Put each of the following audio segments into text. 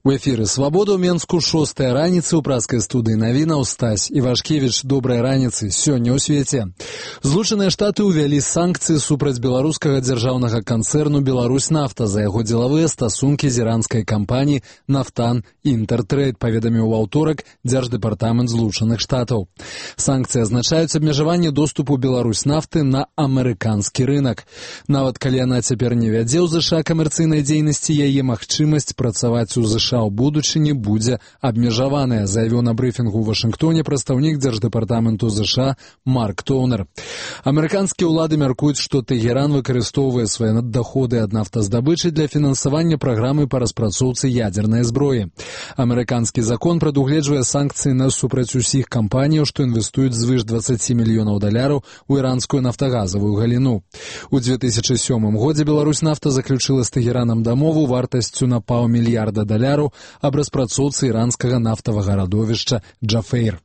У эфіры «Свабода» ў Менску 6-я раніцы ў праскай студыі навінаў Стась Івашкевіч. Добрай раніцы. Сёння ў свеце. Злучаныя Штаты ўвялі санкцыі супраць беларускага дзяржаўнага канцэрну «Беларусьнафта» за яго дзелавыя стасункі з іранскай кампаніяй «Нафтан Інтэртрейд», паведаміў у аўторак Дзярждэпартамент Злучаных Штатаў. Санкцыі азначаюць абмежаванне доступу «Беларусьнафты» на амерыканскі рынак. Нават калі яна цяпер не вядзе ў ЗША камерцыйнай дзейнасці, яе магчымасць працаваць у ЗША ў будучыні будзе абмежаваная, заявіў на брыфінгу ў Вашынгтоне прадстаўнік Дзярждэпартаменту ЗША Марк Тоунер. Амерыканскія ўлады мяркуюць, што Тэгеран выкарыстоўвае свае наддаходы ад нафтаздабычы для фінансавання праграмы па распрацоўцы ядзернай зброі. Амерыканскі закон прадугледжвае санкцыі насупраць усіх кампаніяў, што інвестуюць звыш $20 мільёнаў у іранскую нафтагазавую галіну. У 2007 годзе Беларусьнафта заключыла з Тэгеранам дамову вартасцю на $500 мільярда аб распрацоўцы іранскага нафтавага радовішча Джафейр.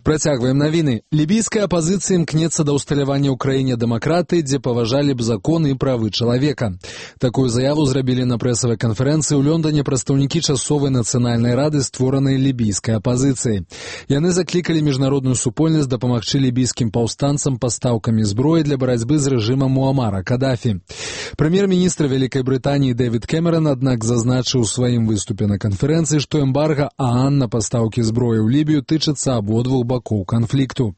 Працягваем навіны. Лібійская апазіцыя імкнецца да ўсталявання ў краіне дэмакратыі, дзе паважалі б законы і правы чалавека. Такую заяву зрабілі на прэсавай канферэнцыі ў Лондоне прадстаўнікі часовай нацыянальнай рады, створанай лібійскай апазіцыяй. Яны заклікалі міжнародную супольнасць дапамагчы лібійскім паўстанцам пастаўкамі зброі для барацьбы з рэжымам Муамара Кадафі. Прэм'ер-міністр Вялікай Брытаніі Дэвід Кэмеран, аднак, зазначыў у сваім выступе на канферэнцыі, што эмбарга ААН на пастаўкі зброі ў Лібію тычыцца абодвух бакоў канфлікту.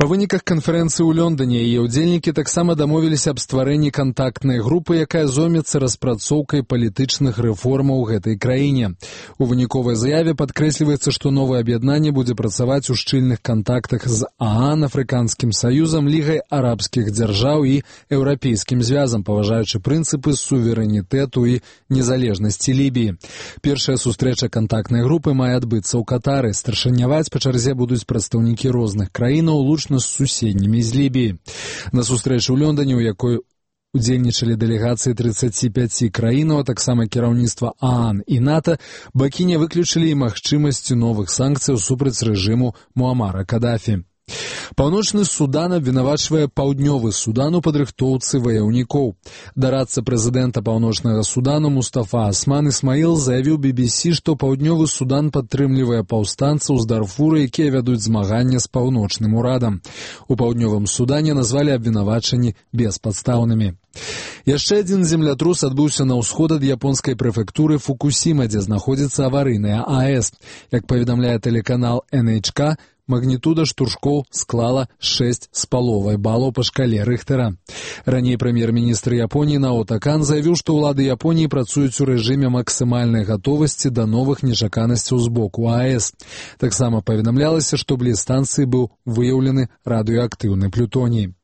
Па выніках канферэнцыі ў Лондоне яе ўдзельнікі таксама дамовіліся аб стварэнні кантактнай групы, якая зоймецца распрацоўкай палітычных рэформаў у гэтай краіне. У выніковай заяве падкрэсліваецца, што новае аб'яднанне будзе працаваць у шчыльных кантактах з ААН, Афрыканскім саюзам, Лігай арабскіх дзяржаў і Еўрапейскім звязам, паважаючы прынцыпы суверэнітэту і незалежнасці Лібіі. Першая сустрэча кантактнай групы мае адбыцца ў Катары. Старшыняваць па чарзе будуць прадстаўнікі розных краінаў, лучна з суседнімі з Лібіі. На сустрэчы ў Лондоне, у якой удзельнічалі дэлегацыі 35 краінаў, а таксама кіраўніцтва ААН і НАТО, бакі не выключылі і магчымасці новых санкцыяў супраць рэжыму Муамара Кадафі. Паўночны Судан абвінавачвае Паўднёвы Судан у падрыхтоўцы ваяўнікоў. Дарадца прэзідэнта Паўночнага Судану Мустафа Асман Ісмаіл заявіў BBC, што Паўднёвы Судан падтрымлівае паўстанцаў з Дарфура, якія вядуць змаганне з паўночным урадам. У Паўднёвым Судане назвалі абвінавачанні беспадстаўнымі. Яшчэ адзін землятрус адбыўся на ўсход ад японскай прэфектуры Фукусіма, дзе знаходзіцца аварыйная АЭС. Як паведамляе тэлеканал NHK, магнітуда штуршкоў склала 6,5 балаў па шкале Рыхтера. Раней прэм'ер-міністр Японіі Наото Кан заявіў, што ўлады Японіі працуюць у рэжыме максімальнай гатовасці да новых нечаканасцяў з боку АЭС. Таксама паведамлялася, што бліз станцыі быў выяўлены радыеактыўны плютоній.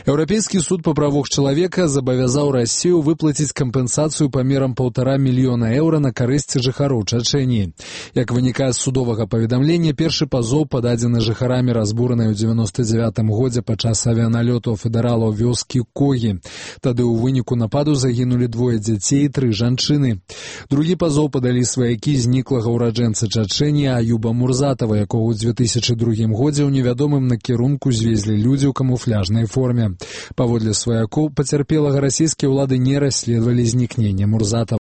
Еўрапейскі суд па правах чалавека забавязаў Расію выплаціць кампенсацыю памерам €1,5 мільёна на карысць жыхароў Чачэніі. Як вынікае з судовага паведамлення, першы пазоў пададзены жыхарамі разбуранай у 99 годзе падчас авіяналётаў федэралаў вёскі Когі. Тады ў выніку нападу загінулі 2 дзяцей і 3 жанчыны. Другі пазоў падалі сваякі зніклага ўраджэнца Чачэніі Аюба Мурзатава, якога ў 2002 годзе ў невядомым накірунку звезлі людзі ў камуфляжнай форме. Паводле сваякоў пацярпелага расійскія ўлады не расследавалі знікнення Мурзатава.